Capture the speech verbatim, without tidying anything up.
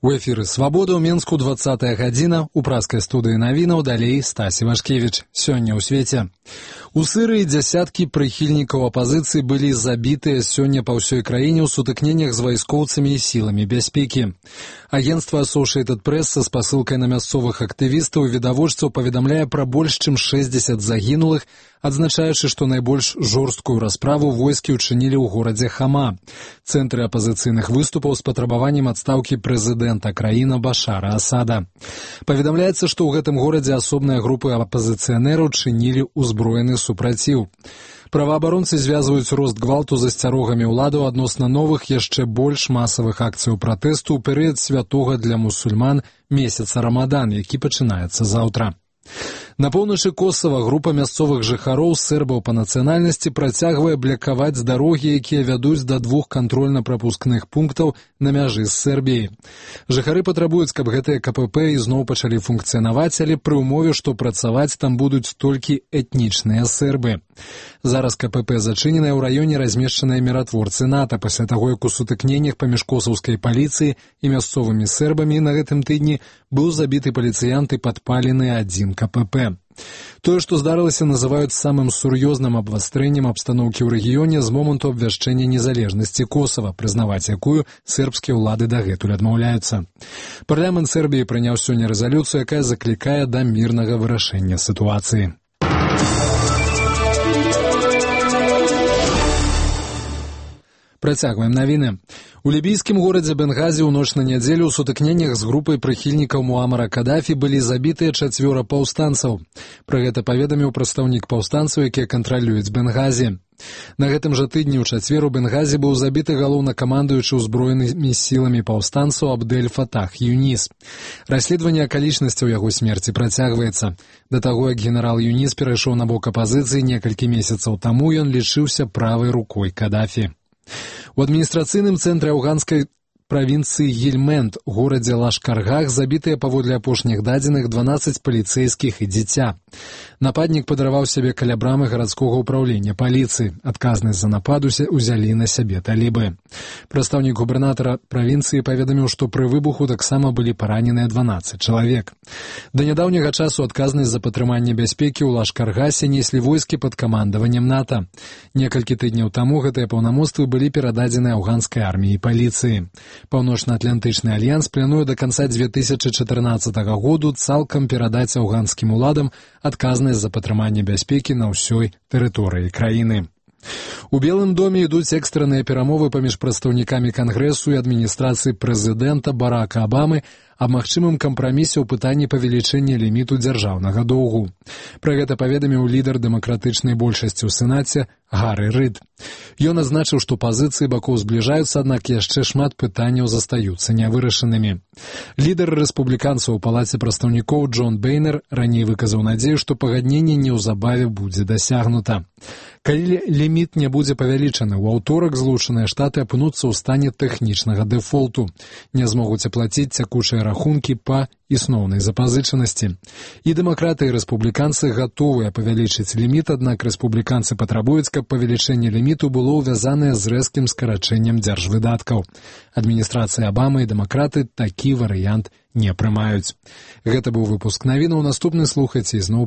У эфіры «Свабода» ў Менску двадцатая гадзіна, у праскай студыі навінаў далей Стасі Вашкевіч. Сёння ў свеце. У Сырыі дзясяткі прыхільнікаў апазіцыі былі забітыя сёння па ўсёй краіне ў сутыкненнях з вайскоўцамі і сіламі бяспекі. Агенцтва Associated Press са спасылкай на мясцовых актывістаў і відавочцаў паведамляе пра больш чым шэсцьдзесят загінулых, адзначаючы, што найбольш жорсткую расправу войскі ўчынілі ў горадзе Хама, цэнтры апазіцыйных выступаў з патрабаваннем адстаўкі прэзідэнта краіны Башара Асада. Паведамляецца, што ў гэтым горадзе асобныя групы апазіцыянераў чынілі ўзброены супраціў. Праваабаронцы звязваюць рост гвалту з асцярогамі ўладаў адносна новых яшчэ больш масавых акцыяў пратэсту ў перыяд святога для мусульман месяца Рамадан, які пачынаецца заўтра. На поўначы Косава група мясцовых жыхароў сербаў па нацыянальнасці працягвае блакаваць дарогі, якія вядуць да двух кантрольна-прапускных пунктаў на мяжы з Сербіяй. Жыхары патрабуюць, каб гэтыя КПП ізноў пачалі функцыянаваць, але пры ўмове, што працаваць там будуць толькі этнічныя сербы. Зараз КПП зачыненыя ў раёне размешчаныя міратворцы НАТО пасля таго, як у сутыкненнях паміж косаўскай паліцыяй і мясцовымі сербамі на гэтым тыдні быў забіты паліцыянт і падпалены адзін КПП. Тое, што здарылася, называюць самым сур'ёзным абвастрэннем абстаноўкі ў рэгіёне з моманту абвяшчэння незалежнасці Косава, прызнаваць якую сербскія ўлады дагэтуль адмаўляюцца. Парламент Сербіі прыняў сёння рэзалюцыю, якая заклікае да мірнага вырашэння сітуацыі. Працягваем навіны. У лібійскім горадзе Бенгазі ў ноч на нядзелю ў сутыкненнях з групай прыхільнікаў Муамара Кадафі былі забітыя чацвёра паўстанцаў. Пра гэта паведаміў прадстаўнік паўстанцаў, якія кантралююць Бенгазі. На гэтым жа тыдні ў чацвер у Бенгазі быў забіты галоўнакамандуючы ўзброенымі сіламі паўстанцаў Абдель Фатах Юніс. Расследаванне акалічнасцяў яго смерці працягваецца. Да таго, як генерал Юніс перайшоў на бок апазіцыі некалькі месяцаў таму, ён лічыўся правай рукой Кадафі. У адміністрацыйным цэнтры афганскай правінцыі Гельмент, горадзе Лашкаргах, забітыя паводле апошніх дадзеных дванаццаць паліцэйскіх і дзіця. Нападнік падарваў сябе каля брамы гарадскога ўпраўлення паліцыі. Адказнасць за напад узялі на сябе талібы. Прадстаўнік губернатара правінцыі паведаміў, што пры выбуху таксама былі параненыя дванаццаць чалавек. Да нядаўняга часу адказнасць за падтрыманне бяспекі ў Лашкаргасе неслі войскі пад камандаваннем НАТО. Некалькі тыдняў таму гэтыя паўнамоцтвы былі перададзены афганскай арміі і паліцыі. Паўночна-атлантычны альянс плануе да канца дзве тысячы чатырнаццатага году цалкам перадаць афганскім уладам адказнасць за падтрыманне бяспекі на ўсёй тэрыторыі краіны. У Белым доме ідуць экстранныя перамовы паміж прадстаўнікамі Кангрэсу і адміністрацыі прэзідэнта Барака Абамы аб магчымым кампрамісе ў пытанні павелічэння ліміту дзяржаўнага доўгу. Пра гэта паведаміў лідар дэмакратычнай большасці ў Сенаце Гары Рыд. Ён адзначыў, што пазіцыі бакоў збліжаюцца, аднак яшчэ шмат пытанняў застаюцца нявырашанымі. Лідар рэспубліканцаў у палаце прадстаўнікоў Джон Бейнер раней выказаў надзею, што пагадненне неўзабаве будзе дасягнута. Калі ліміт не будзе павялічаны, у аўторак Злучаныя Штаты апынуцца ў стане тэхнічнага дэфолту. Не змогуць аплаціць цякучыя рахункі па існоўнай запазычанасці. І дэмакраты і рэспубліканцы гатовыя павялічыць ліміт, аднак рэспубліканцы патрабуюць, каб павелічэнне ліміту было ўвязанае з рэзкім скарачэннем дзяржвыдаткаў. Адміністрацыя Абамы і дэмакраты такі варыянт не прымаюць. Гэта быў выпуск навінаў. Наступны слухайце ізноў